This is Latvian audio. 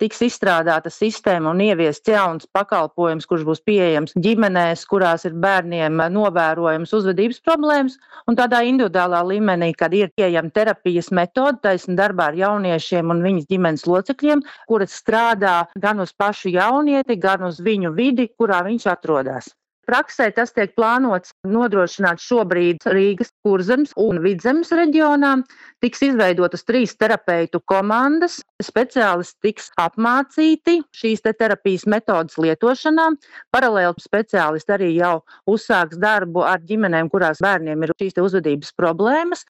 tiks izstrādāta sistēma un ieviests jauns pakalpojums, kurš būs pieejams ģimenēs, kurās ir bērniem novērojams uzvedības problēmas, un tādā individuālā līmenī, kad ir pieejama terapijas metode, taisni darbā ar jauniešiem un viņas ģimenes locekļiem, kuras strādā gan uz pašu jaunieti, gan uz viņu vidi, kurā viņš atrodas. Praksē tas tiek plānots nodrošināt šobrīd Rīgas, Kurzemes un Vidzemes reģionā. Tiks izveidotas 3 terapeitu komandas. Speciālisti tiks apmācīti šīs terapijas metodas lietošanā. Paralēli speciālisti arī jau uzsāks darbu ar ģimenēm, kurās bērniem ir šīs uzvedības problēmas.